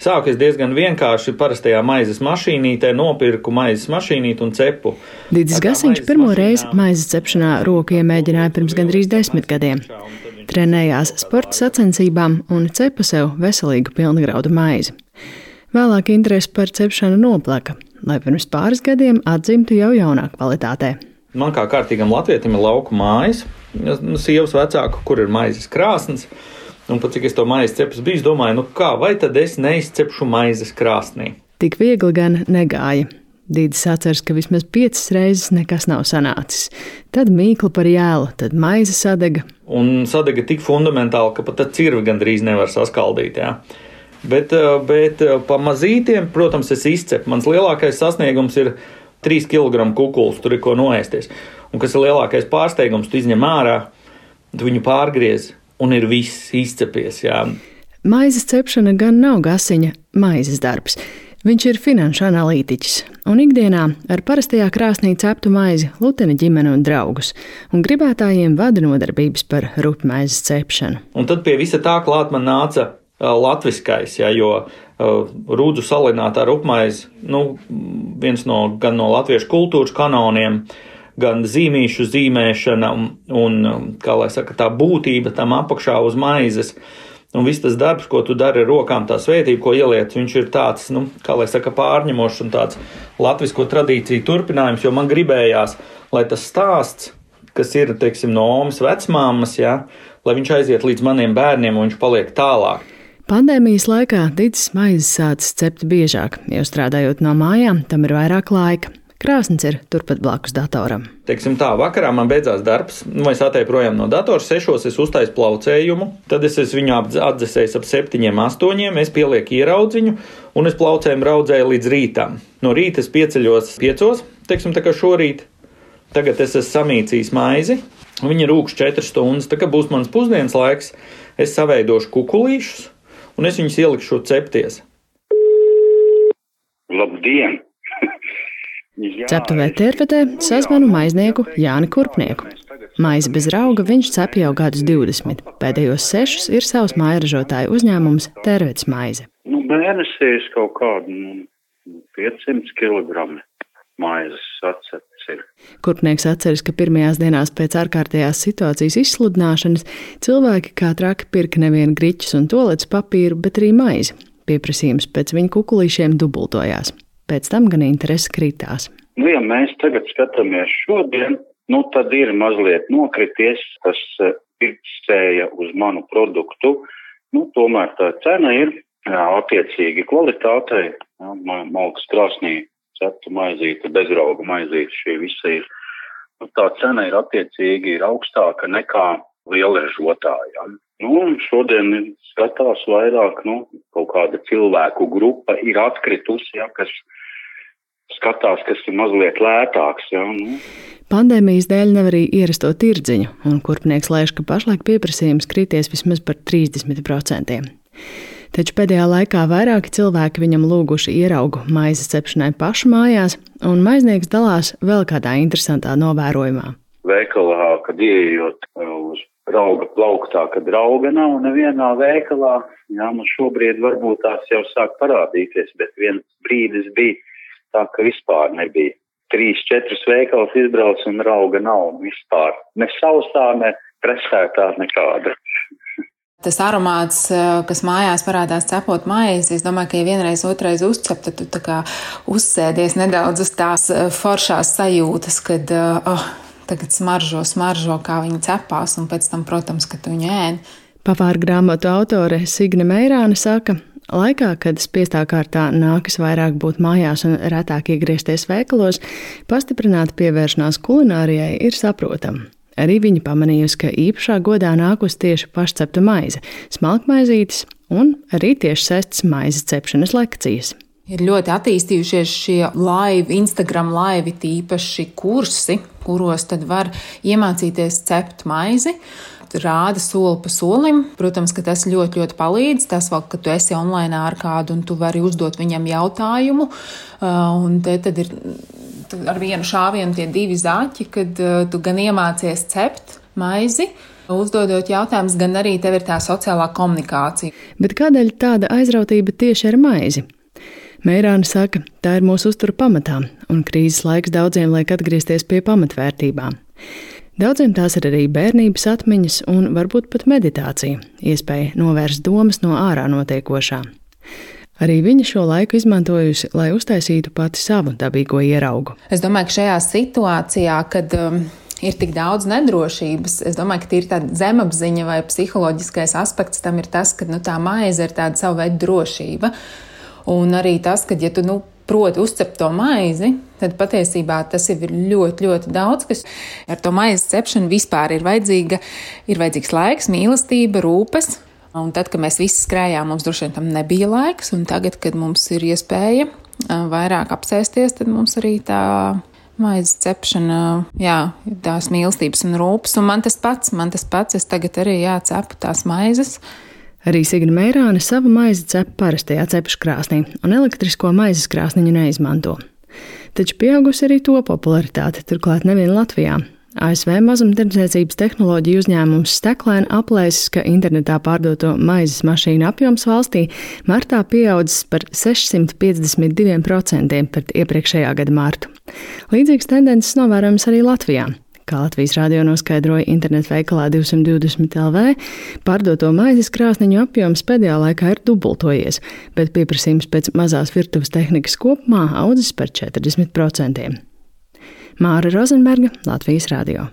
Sāku es diezgan vienkārši parastajā maizes mašīnītē, nopirku maizes mašīnīti un cepu. Dīdzis Gasiņš pirmo reizi maizes cepšanā roku iemēģināja pirms gandrīz 10 gadiem. Trenējās sporta sacensībām un cepa sev veselīgu pilngraudu maizi. Vēlāk interese par cepšanu noplaka, lai pirms pāris gadiem atzimtu jau jaunā kvalitātē. Man kā kārtīgam latvietim ir lauku mājas, sievas vecāku, kur ir maizes krāsnes. Un pat cik es to maizes cepus biju, domāju, vai tad es neizcepšu maizes krāsnī? Tik viegli gan negāja. Dīdzis atceras, ka vismaz 5 reizes nekas nav sanācis. Tad mīkla par jēlu, tad maize sadega. Un sadega tik fundamentāli, ka pat cirvi gandrīz nevar saskaldīt, jā. Bet pa mazītiem, protams, es izcepu. Mans lielākais sasniegums ir 3 kg kukuls, tur ir ko noēsties. Un kas ir lielākais pārsteigums, tu izņem ārā, tu viņu pārgriez. Un ir viss izcepies, jā. Maizes cepšana gan nav Gasiņa maizes darbs. Viņš ir finanšu analītiķis un ikdienā ar parastajā krāsnī ceptu maizi lutena ģimeni un draugus, un gribētājiem vada nodarbības par rupmaizes cepšanu. Un tad pie visa tā klāt man nāca latviskais, jā, jo rūdzu salinātā rupmaize, viens gan no latviešu kultūras kanoniem, gan zīmīšu zīmēšana un kā lai saka, tā būtība tam apakšā uz maizes. Un viss tas darbs, ko tu dari ar rokām, tā svētība, ko ieliec, viņš ir tāds, kā lai saka, pārņemošs un tāds latvisko tradīciju turpinājums, jo man gribējās, lai tas stāsts, kas ir, teiksim, no omas vecmāmas, jā, lai viņš aiziet līdz maniem bērniem un viņš paliek tālāk. Pandēmijas laikā Dīdzis maizes sācis cept biežāk, jo strādājot no mājām, tam ir vairāk laika. Krāsns ir turpat blakus datoram. Teiksim tā, vakarā man beidzās darbs, es atēju projām no datora, 6 es uztaisu plaucējumu, tad es viņu atdzesēju ap 7, 8, es pielieku ieraudziņu un es plaucējumu raudzēju līdz rītam. No rīta es pieceļos 5, teiksim tā kā šorīt, tagad es esmu samīcījis maizi, viņa rūks 4 stundas, tā kā būs mans pusdienas laiks, es saveidošu kukulīšus un es viņus ielikšu cepties. Labdien! Ceptuvē Tervetē sazvanu maiznieku Jāni Kurpnieku. Maizi bez rauga viņš cep jau gadus 20. Pēdējos 6 ir savs mājražotāju uzņēmums Tervetes maize. Mēnesīs kaut kādu 500 kg maizes atcepts ir. Kurpnieks atceras, ka pirmajās dienās pēc ārkārtējās situācijas izsludināšanas cilvēki kā traki pirka nevien griķus un toaletes papīru, bet arī maizi. Pieprasījums pēc viņu kukulīšiem dubultojās. Pēc tam gan interese kritās. Ja mēs tagad skatāmies šodien, tad ir mazliet nokrities, tas pirkstēja uz manu produktu. Tomēr tā cena ir attiecīgi kvalitātei. Malkas krāsnī cepta maizīte, bezrauga maizīte, šī visa ir. Tā cena ir attiecīgi augstāka nekā lielražotāja. Šodien skatās vairāk, kaut kāda cilvēku grupa ir atkritusi, kas skatās, kas ir mazliet lētāks. Pandēmijas dēļ nevar arī ierasto tirdziņu, un Kurpnieks lēš, ka pašlaik pieprasījums krities vismaz par 30%. Taču pēdējā laikā vairāki cilvēki viņam lūguši ieraugu maizes cepšanai pašu mājās, un maiznieks dalās vēl kādā interesantā novērojumā. Veikalā, kad ieejot uz rauga plauktā, kad rauga nav nevienā veikalā, man šobrīd varbūt tās jau sāk parādīties, bet viens brīdis bija tā, ka vispār nebija. 3-4 veikals izbrauc un rauga nav vispār. Ne sausā, ne presētā nekāda. Tas aromāts, kas mājās parādās cepot maizi, es domāju, ka ja vienreiz, otrais uzcep, tad tu tā kā uzsēdies nedaudz uz tās foršās sajūtas, kad tagad smaržo, kā viņi cepās, un pēc tam, protams, ka tu viņu ēd. Pavāra grāmatu autore Signe Meirāne saka, laikā, kad spiestā kārtā nākas vairāk būt mājās un retāk iegriezties veikalos, pastiprināta pievēršanās kulinārijai ir saprotama. Arī viņa pamanījusi, ka īpašā godā nākus tieši pašcepta maize, smalkmaizītes un arī tieši sestas maizes cepšanas lekcijas. Ir ļoti attīstījušies šie Instagram laivi, tīpaši kursi, kuros tad var iemācīties cept maizi. Rāda soli pa solim. Protams, ka tas ļoti, ļoti palīdz. Tas vēl, ka tu esi online ar kādu un tu vari uzdot viņam jautājumu. Un tad ir ar vienu šāvienu tie 2 zaķi, kad tu gan iemācies cept maizi, Uzdodot jautājumus, gan arī tev ir tā sociālā komunikācija. Bet kādēļ tāda aizrautība tieši ar maizi? Meirāne saka, tā ir mūsu uztura pamatā, un krīzes laiks daudziem liek atgriezties pie pamatvērtībām. Daudziem tās ir arī bērnības atmiņas un varbūt pat meditācija, iespēja novērst domas no ārā notiekošā. Arī viņa šo laiku izmantojusi, lai uztaisītu pati savu dabīgo ieraugu. Es domāju, ka šajā situācijā, kad ir tik daudz nedrošības, es domāju, ka tīri tāda zemapziņa vai psiholoģiskais aspekts tam ir tas, ka tā maize ir tāda savu veidu drošība. Un arī tas, ka ja tu proti uzcept to maizi, tad patiesībā tas jau ir ļoti, ļoti daudz, kas ar to maizes cepšanu vispār ir vajadzīgs laiks, mīlestība, rūpes. Un tad, kad mēs visi skrējām, mums droši vien tam nebija laiks, un tagad, kad mums ir iespēja vairāk apsēsties, tad mums arī tā maizes cepšana, tās mīlestības un rūpes. Un man tas pats, es tagad arī cepu tās maizes. Arī Signe Meirāne savu maizi cep parastajā cepškrāsnī, un elektrisko maizes krāsniņu neizmanto. Taču pieaugusi arī to popularitāte, turklāt nevien Latvijā. ASV mazumtirdzniecības tehnoloģiju uzņēmums Steklēn aplēsis, ka internetā pārdoto maizes mašīnu apjoms valstī martā pieaudzis par 652% pret iepriekšējā gada martu. Līdzīgas tendences novērojams arī Latvijā. Kā Latvijas radio noskaidroja internetveikalā 220 LV, pārdoto maizes krāsniņu apjoms pēdējā laikā ir dubultojies, bet pieprasījums pēc mazās virtuves tehnikas kopumā audzis par 40%. Māra Rozenberga, Latvijas radio.